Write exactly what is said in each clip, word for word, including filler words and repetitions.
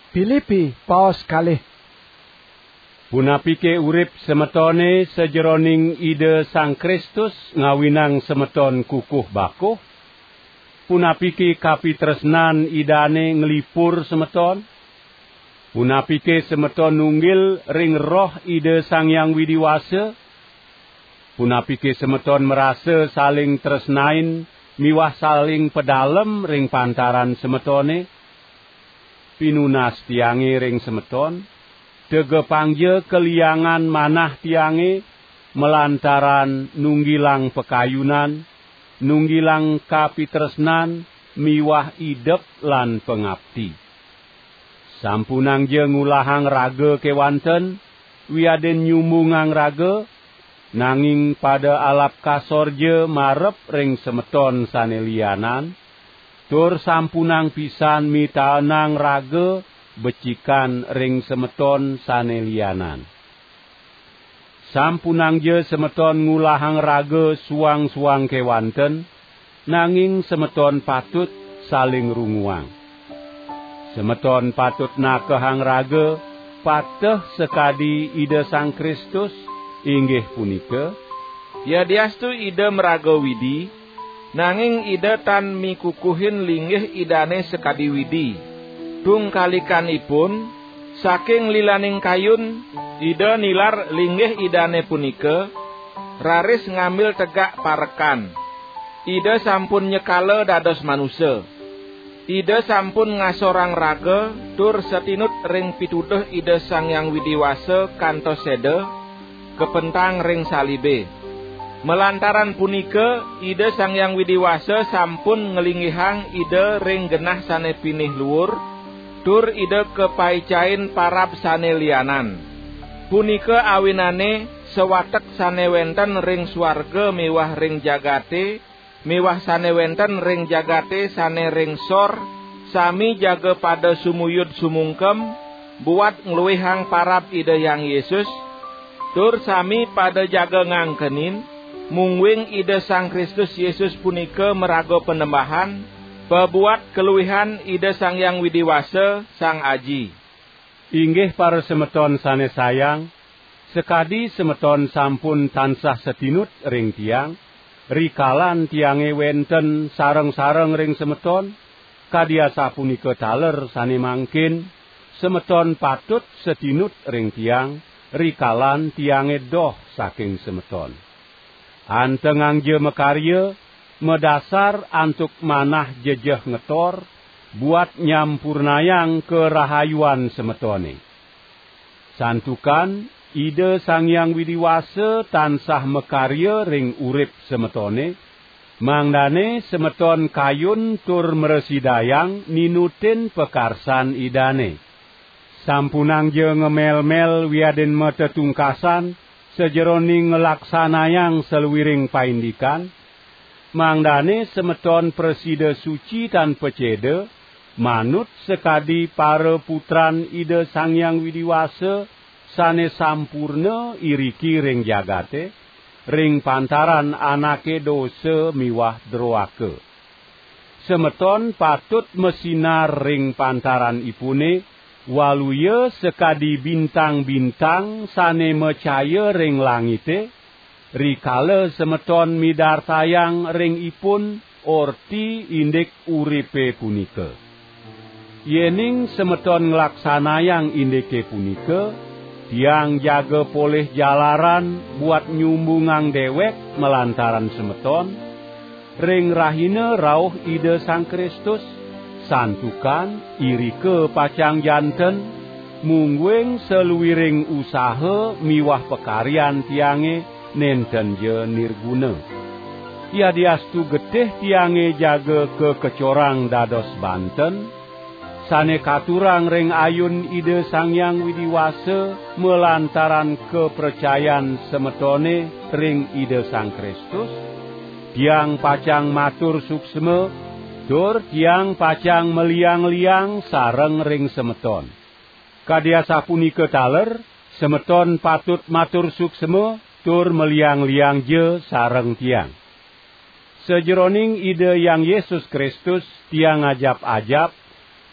Pilipi paos kalih. Punapike urip semetone sajeroning Ida Sang Kristus ngawinang semeton kukuh bakuh? Punapike kapitresnan Idane nglipur semeton? Punapike semeton nunggil ring Roh Ida Sang Hyang Widi Wasa? Punapike semeton marasa saling tresnain miwah saling pedalem ring pantaran semetone? Pinunas tiange ring semeton, tegepangja kaliangan manah tiange malantaran nunggilang pakayunan, nunggilang kapitresnan miwah idep lan pangapti. Sampunangja ngulahang raga kewanten, wiadin nyumbungang raga, nanging pada alap kasorja marep ring semeton sane lianan, tur sampunang pisan mitaenang raga becikan ring semeton sane lianan. Sampunangja semeton ngulahang raga suang-suang kewanten, nanging semeton patut saling runguang. Semeton patut nakehang raga pateh sakadi Ida Sang Kristus, inggih punika, yadiastu Ida maraga Widi, nanging Ida tan mikukuhin linggih Idane sakadi Widi. Tungkalikanipun, saking lilaning kayun, Ida nilar linggih Idane punika, raris ngambil tegak parekan. Ida sampun nyekala dados manusa. Ida sampun ngasorang raga tur satinut ring pituduh Ida Sang Hyang Widi Wasa kantos seda, kapentang ring salibe. Malantaran punika, Ida Sang Hyang Widi Wasa sampun nglinggihang Ida ring genah sane pinih luur, tur Ida kapaicain parab sane lianan. Punika awinane sawatek sane wenten ring suarga miwah ring jagate, miwah sane wenten ring jagate sane ring sor, sami jaga pada sumuyud sumungkem, buat ngluihang parab Ida Hyang Yesus, tur sami pada jaga ngangkenin, mungguing Ida Sang Kristus Yesus punika maraga Panembahan, pabuat kaluihan Ida Sang Hyang Widi Wasa, Sang Aji. Inggih parasemeton sane sayang, sakadi semeton sampun tansah satinut ring tiang, rikalan tiange wenten sareng-sareng ring semeton, kadi asapunika taler sane mangkin, semeton patut satinut ring tiang, rikalan tiange doh saking semeton. Antengangja makarya, madasar antuk manah jejeh ngetor, buat nyampurnayang karahayuan semetone. Santukan Ida Sang Hyang Widi Wasa tansah makarya ring urip semetone, mangdane semeton kayun tur mrasidayang ninutin pakarsan Idane. Sampunangja ngemel-mel wiadin matetungkasan sajeroning nglaksanayang saluiring paindikan, mangdane semeton prasida suci tan paceda, manut sakadi para putran Ida Sang Hyang Widi Wasa sane sampurna iriki ring jagate, ring pantaran anake dosa miwah droaka. Semeton patut masinar ring pantaran ipune, waluya sakadi bintang-bintang sane macaya ring langite, rikala semeton midartayang ring ipun orti indik uripe punika. Yening semeton nglaksanayang indike punika, tiang jaga polih jalaran buat nyumbungang dewek malantaran semeton, ring rahina rauh Ida Sang Kristus, santukan irika pacang janten, mungguing saluiring usaha miwah pakaryan tiange nentenja nirguna. Yadiastu getih tiange jaga kakecorang dados banten, sane katurang ring ayun Ida Sang Hyang Widi Wasa malantaran kapracayan semetone ring Ida Sang Kristus, tiang pacang matur suksma, tur tiang pacang maliang-liang sareng ring semeton. Kadi asapunika taler, semeton patut matur suksma tur maliang-liangja sareng tiang. Sajeroning Ida Hyang Yesus Kristus, tiang ajap-ajap,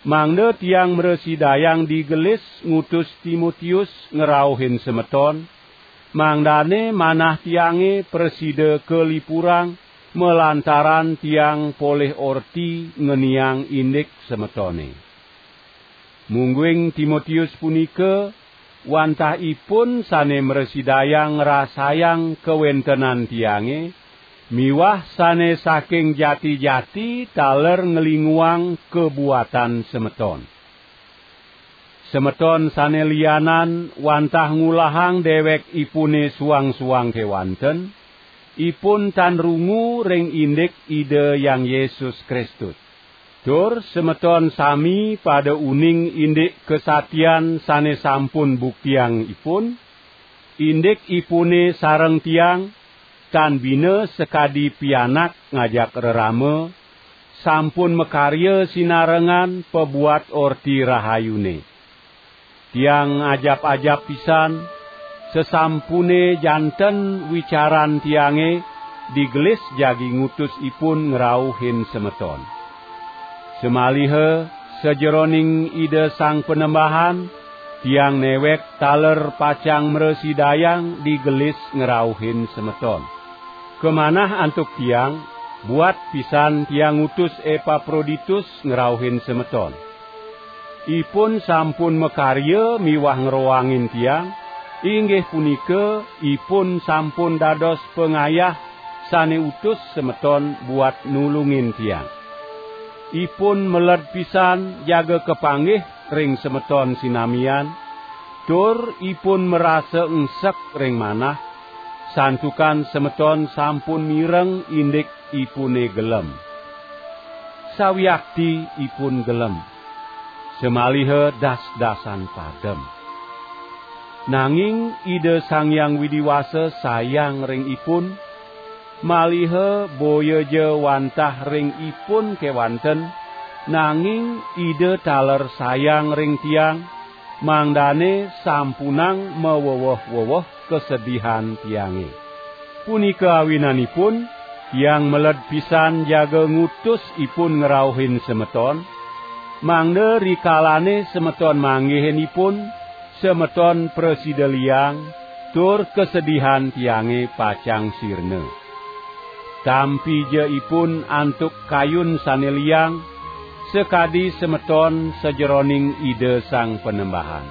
mangda tiang mrasidayang digelis ngutus Timotius ngrauhin semeton, mangdane manah tiange prasida kalipurang malantaran tiang polih orti ngeniang indik semetone. Mungguing Timotius punika, wantah ipun sane mrasidayang ngrasayang kawentenan tiange, miwah sane saking jati-jati taler nglinguang kabuatan semeton. Semeton sane lianan wantah ngulahang dewek ipune suang-suang kewanten, ipun tan rungu ring indik Ida Hyang Yesus Kristus. Tur semeton sami pada uning indik kasatian sane sampun buktiang ipun, indik ipune sareng tiang, tan bina sakadi pianak ngajak rerama, sampun makarya sinarengan pabuat Orti Rahayune. Tiang ajap-ajap pisan, sasampune janten wicaran tiange digelis jagi ngutus ipun ngrauhin semeton. Samaliha sajeroning Ida Sang Panembahan, tiang newek taler pacang mrasidayang digelis ngrauhin semeton. Kamanah antuk tiang, buat pisan tiang ngutus Epaproditus ngrauhin semeton. Ipun sampun makarya miwah ngroangin tiang, inggih punika ipun sampun dados pangayah sane utus semeton buat nulungin tiang. Ipun meled pisan jaga kapanggih ring semeton sinamian, tur ipun marasa engsek ring manah, santukan semeton sampun mireng indik ipune gelem. Sawiakti ipun gelem, samaliha das-dasan padem. Nanging Ida Sang Hyang Widi Wasa sayang ring ipun, maliha boya ja wantah ring ipun kewanten, nanging Ida taler sayang ring tiang, mangdane sampunang maweweh-weweh kasedihan tiange. Punika awinanipun, tiang meled pisan jaga ngutus ipun ngrauhin semeton, mangda rikalane semeton manggihin ipun, semeton prasida liang, tur kasedihan tiange pacang sirna. Tampi ja ipun antuk kayun sane liang, sakadi semeton sajeroning Ida Sang Panembahan.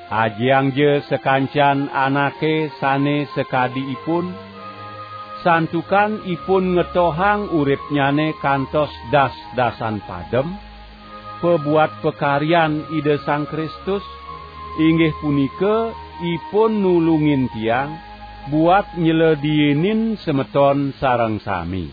Ajiang ja sakancan anake sane sakadi ipun, santukan ipun ngetohang uripnyane kantos das-dasan padem, pabuat pakaryan Ida Sang Kristus, inggih punika ipun nulungin tiang buat nyledienin semeton sareng sami.